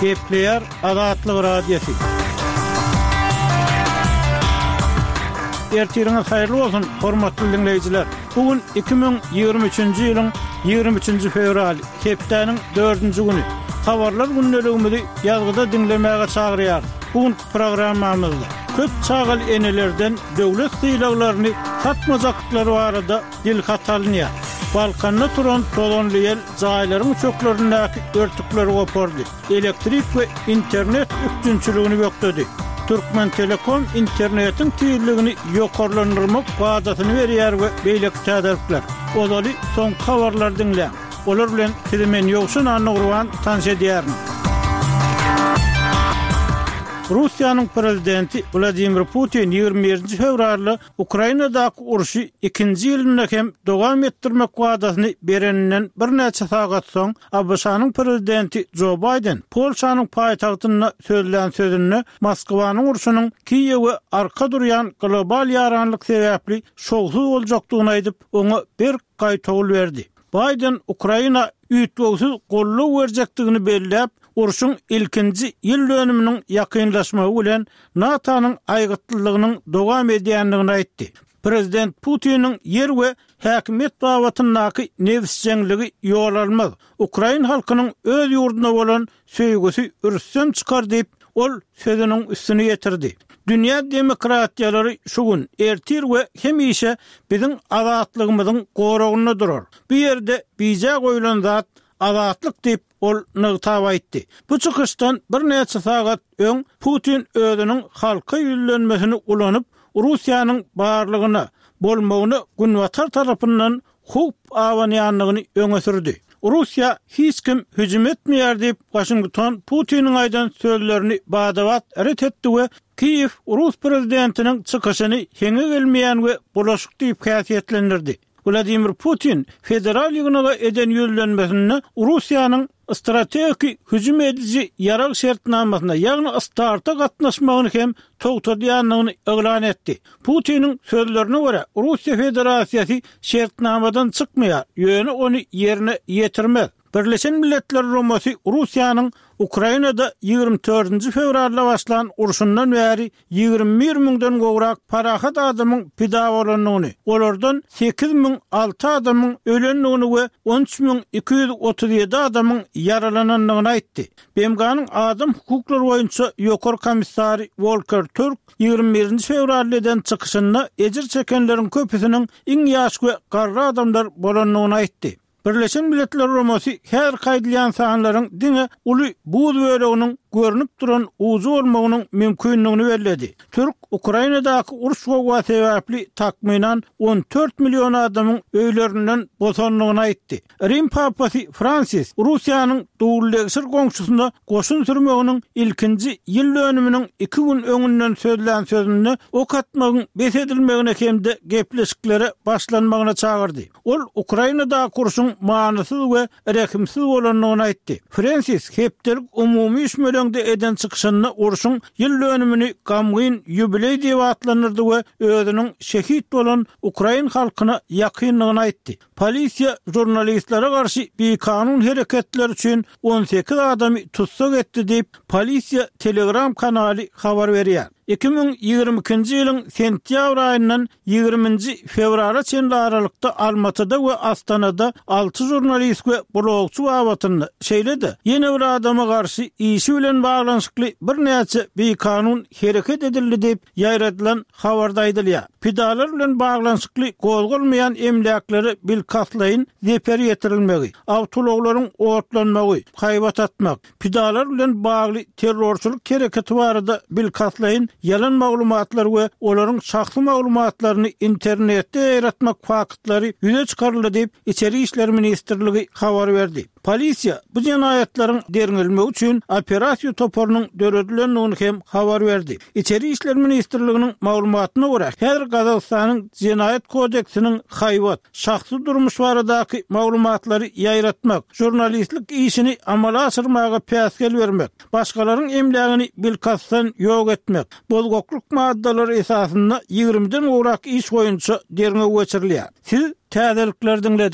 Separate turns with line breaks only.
Gepleýär Azatlyk Radiosy. Ertiriňiz haýyrly bolsun, hormatly diňleýjiler! Bu gün 2023-nji ýylyň 23-nji fewraly, hepdäniň dördünji güni. Habarlar gündeligimizi ýazgyda diňlemäge çagyrýarys. Bu günki programmamyzda köp çagaly enelerden döwlet sylaglaryny satmajakdyklary barada dilhat alynýar. Balkanda turan tozanly ýel jaýlaryň üçeklerindäki örtükleri gopardy, elektrik we internet üpjünçiligini bökdedi. Türkmentelekom internetiň tizligini ýokarlandyrmak wadasyny berýär we beýleki täzelikler. Ozaly soňky habarlary diňläň. Olar bilen sizi men Ýowşan Annagurban tanyş edýärin. Russiýanyň prezidenti Wladimir Putin 21-nji fewralda Ukrainadaky urşy ikinji ýylynda hem dowam etdirmek wadasyny bereninden birnäçe sagat soň, ABŞ-nyň prezidenti Jo Baýden Polşanyň paýtagtynda sözlän sözünde Moskwanyň urşunyň Kiýewe arka durýan global ýaranlyk sebäpli şowsuz boljakdygyny aýdyp, oňa berk gaýtawul berdi. Baýden Ukraina üýtgewsiz goldaw berjekdigini belläp, urşuň ilkinji ýyl dönüminiň ýakynlaşmagy bilen NATO-nyň aýgytlylygynyň dowam edýändigini aýtdy. Prezident Putiniň ýer we häkimiýet babatyndaky nebisjeňligi ýol almaz, ukrain halkynyň öz ýurduna bolan söýgüsi rüstem çykar diýip, ol sözüniň üstüni ýetirdi. Dünýä demokratiýalary şu gün, ertir we hemişe biziň azatlygymyzyň goragynda durar. Bu ýerde bije goýlan zat azatlyk diýip, ol nygtap aýtdy. Bu çykyşdan birnäçe sagat öň Putin özüniň halka ýüzlenmesini ulanyp, Russiýanyň barlygyna, bolmagyna Günbatar tarapyndan howp abanýandygyny öňe sürdi. Russiýa hiç kim hüjüm etmeýär diýip, Waşington Putiniň aýdan sözlerini bada-bat ret etdi we Kiýew rus prezidentiniň çykyşyny heňe gelmeýän we bulaşyk diýip häsiýetlendirdi. Wladimir Putin Federal ýygnaga eden ýüzlenmesinde Russiýanyň Strategiki hüjüm ediji ýarag şertnamasyna, ýagny START-a gatnaşmagyny hem togtadýandygyny yglan etdi. Putiniň sözlerine görä, Russiýa Federasiýasy şertnamadan çykmaýar, ýöne ony ýerine ýetirmez. Birleşen Milletler Guramasy Russiýanyň Ukrainada 24-nji fewralda başlan urşundan bäri 21 müňden gowrak parahat adamyň pida bolandygyny, olardan 8006 adamyň ölendigini we 13237 adamyň ýaralanandygyny aýtdy. BMG-niň adam hukuklary boýunça ýokary komissary Wolker Türk 21-nji fewralda eden çykyşynda ejir çekenleriň köpüsiniň iň ýaş we garry adamlar bolandygyny aýtdy. Birleşen Milletler Guramasy häzirki aýdylýan sanlaryň diňe uly buz böleginiň görnüp duran ujy bolmagynyň mümkindigini belledi. Türk Ukrainadaky uruş-gowga sebäpli takmynan 14 million adamyň öýlerinden bosandygyny aýtdy. Rim papasy Fransis Russiýanyň dowuldegşir goňşusyna goşun sürmeginiň ilkinji ýyl dönüminiň iki gün öňünden sözlän sözünde ok atmagyň bes edilmegine hem-de gepleşiklere başlanmagyna çagyrdy. Ol Ukrainadaky urşuň manysyz we rehimsiz bolandygyny aýtdy. Frensis hepdelik umumy üýşmeleňde eden çykyşynda urşuň ýyl dönümini gamgyn ýubileý diýip atlandyrdy we özüniň şehit bolan ukrain halkyna ýakyndygyny aýtdy. Polisiýa žurnalistlere garşy bikanun hereketler üçin 18 adamy tussag etdi diýip, polisiýa Telegram kanaly habar berýär. 2022-nji ýylyň sentýabr aýyndan ýigriminji fewrala çenli aralykda Almatyda we Astanada alty žurnalist we blogçy babatynda, şeýle-de ýene bir adama garşy işi bilen baglanyşykly birnäçe bikanun hereket edildi diýip, ýaýradylan habarda aýdylýar. Pidalar bilen baglanyşykly gozgalmaýan emläklere bilkastlaýyn zeper ýetirilmegi, awtoulaglaryň otlanmagy, haýbat atmak, Pidalar bilen bagly terrorçylyk hereketi barada bilkastlaýyn ýalan maglumatlar we olaryň şahsy maglumatlaryny internetde ýaýratmak faktlary ýüze çykaryldy diýip, Içeri işler ministrligi habar berdi. Polisiýa bu jenaýatlaryň derňelmegi üçin operasiýa toparynyň döredilendigini hem habar berdi. Içeri işler ministrliginiň maglumatyna görä, häzir Gazagystanyň Jenaýat kodeksiniň haýbat, şahsy durmuş baradaky maglumatlary ýaýratmak, žurnalistlik işini amala aşyrmaga päsgel bermek, başgalaryň emlägini bilkastdan ýok etmek, bozgaklyk maddalary esasynda ýigrimiden gowrak iş boýunça derňew geçirilýär. Siz täzelikleri diňlediňiz.